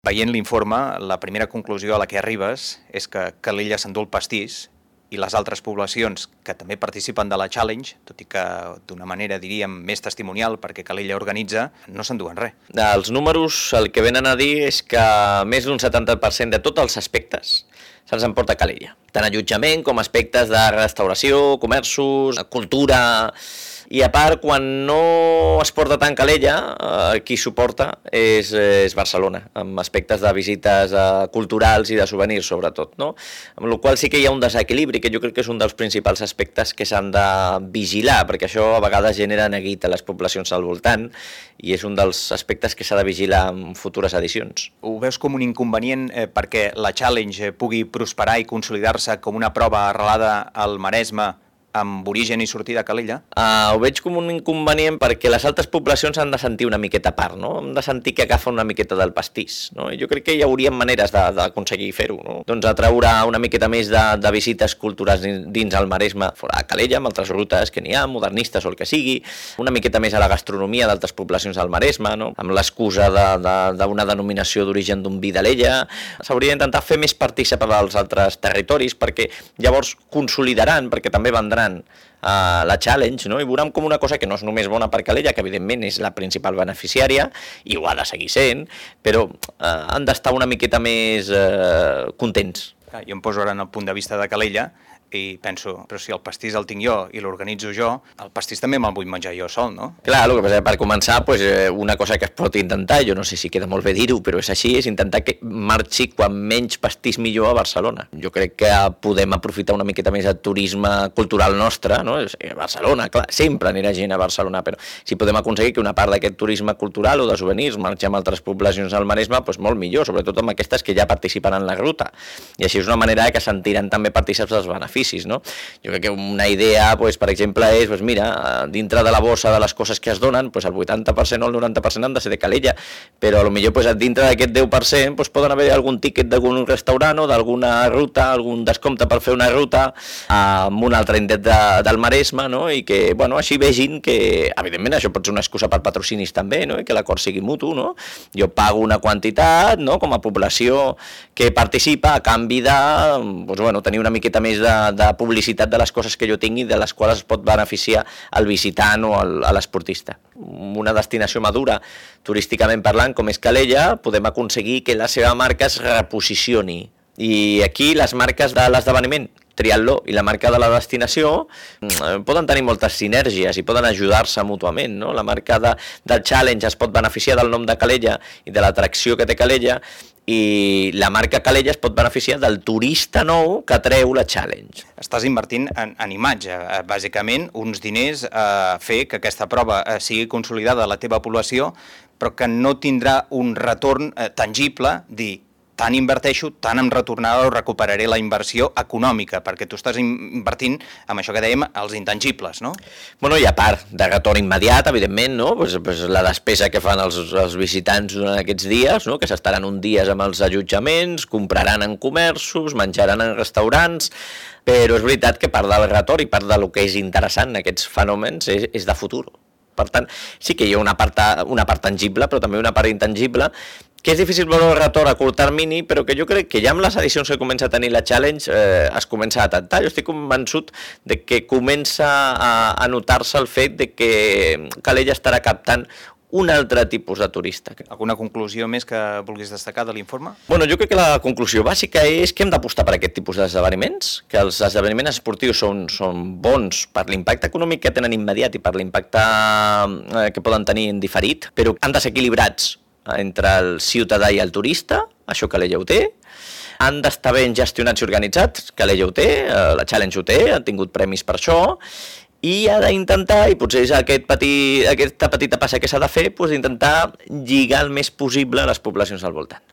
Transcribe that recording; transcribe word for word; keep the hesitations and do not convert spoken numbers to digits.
Veient l'informe, la primera conclusió a la que arribes és que Calella s'endú el pastís i les altres poblacions que també participen de la Challenge, tot i que d'una manera, diríem, més testimonial, perquè Calella organitza, no s'enduen res. Els números el que venen a dir és que més d'un setanta per cent de tots els aspectes se'ls emporta Calella. Tant allotjament com aspectes de restauració, comerços, cultura. I a part, quan no es porta tant Calella, eh, qui s'ho porta és, és Barcelona, amb aspectes de visites eh, culturals i de souvenirs, sobretot, no? Amb la qual sí que hi ha un desequilibri, que jo crec que és un dels principals aspectes que s'han de vigilar, perquè això a vegades genera neguit a les poblacions al voltant, i és un dels aspectes que s'ha de vigilar en futures edicions. Ho veus com un inconvenient eh, perquè la Challenge pugui prosperar i consolidar-se com una prova arrelada al Maresme, amb origen i sortida a Calella? Uh, ho veig com un inconvenient perquè les altres poblacions han de sentir una miqueta a part, no? Han de sentir que agafen una miqueta del pastís, no? I jo crec que hi haurien maneres d'aconseguir fer-ho, no? Doncs atraure una miqueta més de, de visites culturals dins el Maresme, fora de Calella, amb altres rutes que n'hi ha, modernistes o el que sigui, una miqueta més a la gastronomia d'altres poblacions del Maresme, no? Amb l'excusa d'una de, de, denominació d'origen d'un vi d'Alella. S'hauria d'intentar fer més partícip als altres territoris perquè llavors consolidaran, perquè també vendran Uh, la Challenge, no? I veurem com una cosa que no és només bona per Calella, que evidentment és la principal beneficiària i ho ha de seguir sent, però uh, han d'estar una miqueta més uh, contents. Jo em poso ara en el punt de vista de Calella i penso, però si el pastís el tinc jo i l'organitzo jo, el pastís també me'l vull menjar jo sol, no? Clar, el que passa, per començar, pues, una cosa que es pot intentar, jo no sé si queda molt bé dir-ho, però és així, és intentar que marxi quan menys pastís millor a Barcelona. Jo crec que podem aprofitar una miqueta més el turisme cultural nostre, no? A Barcelona, clar, sempre anirà gent a Barcelona, però si podem aconseguir que una part d'aquest turisme cultural o de souvenirs marxi amb altres poblacions al Maresme, doncs molt millor, sobretot amb aquestes que ja participen en la ruta. I així és una manera que sentiran també partícips dels beneficis. No? Jo crec que una idea, pues, per exemple, és, pues, mira, dintre de la bossa de les coses que es donen, pues, el vuitanta per cent o el noranta per cent han de ser de Calella, però potser pues, dintre d'aquest deu per cent pues, poden haver algun tíquet d'algun restaurant o d'alguna ruta, algun descompte per fer una ruta amb un altre indret de, del Maresme, no? I que bueno, així vegin que, evidentment, això pot ser una excusa per patrocinis també, no? I que l'acord sigui mutu, no? Jo pago una quantitat, no? Com a població que participa a canvi de pues, bueno, tenir una miqueta més de de publicitat de les coses que jo tingui, de les quals es pot beneficiar el visitant o l'esportista. Una destinació madura, turísticament parlant, com és Calella, podem aconseguir que la seva marca es reposicioni. I aquí les marques de l'esdeveniment, triatló i la marca de la destinació poden tenir moltes sinergies i poden ajudar-se mútuament, no? La marca de, del Challenge es pot beneficiar del nom de Calella i de l'atracció que té Calella, i la marca Calella es pot beneficiar del turista nou que atreu la Challenge. Estàs invertint en, en imatge, bàsicament uns diners a fer que aquesta prova sigui consolidada a la teva població, però que no tindrà un retorn tangible, dir, tant inverteixo, tant em retornarà o recuperaré la inversió econòmica, perquè tu estàs invertint amb això que dèiem, els intangibles, no? Bueno, i a part de retorn immediat, evidentment, no? Pues, pues la despesa que fan els, els visitants durant aquests dies, no? Que s'estaran uns dies amb els allotjaments, compraran en comerços, menjaran en restaurants, però és veritat que part del retorn i part del que és interessant en aquests fenòmens és, és de futur. Per tant, sí que hi ha una part, una part tangible, però també una part intangible, que és difícil veure el retorn a curt termini, però que jo crec que ja amb les edicions que comença a tenir la Challenge eh, es comença a detectar. Jo estic convençut de que comença a, a notar-se el fet de que Calella estarà captant un altre tipus de turista. Alguna conclusió més que vulguis destacar de l'informe? Bueno, jo crec que la conclusió bàsica és que hem d'apostar per aquest tipus d'esdeveniments, que els esdeveniments esportius són, són bons per l'impacte econòmic que tenen immediat i per l'impacte eh, que poden tenir en diferit, però han de ser equilibrats entre el ciutadà i el turista, això Calella ho té, han d'estar ben gestionats i organitzats, Calella ho té, la Challenge ho té, han tingut premis per això, i ha d'intentar, i potser és aquest petit, aquesta petita passa que s'ha de fer, doncs intentar lligar el més possible a les poblacions al voltant.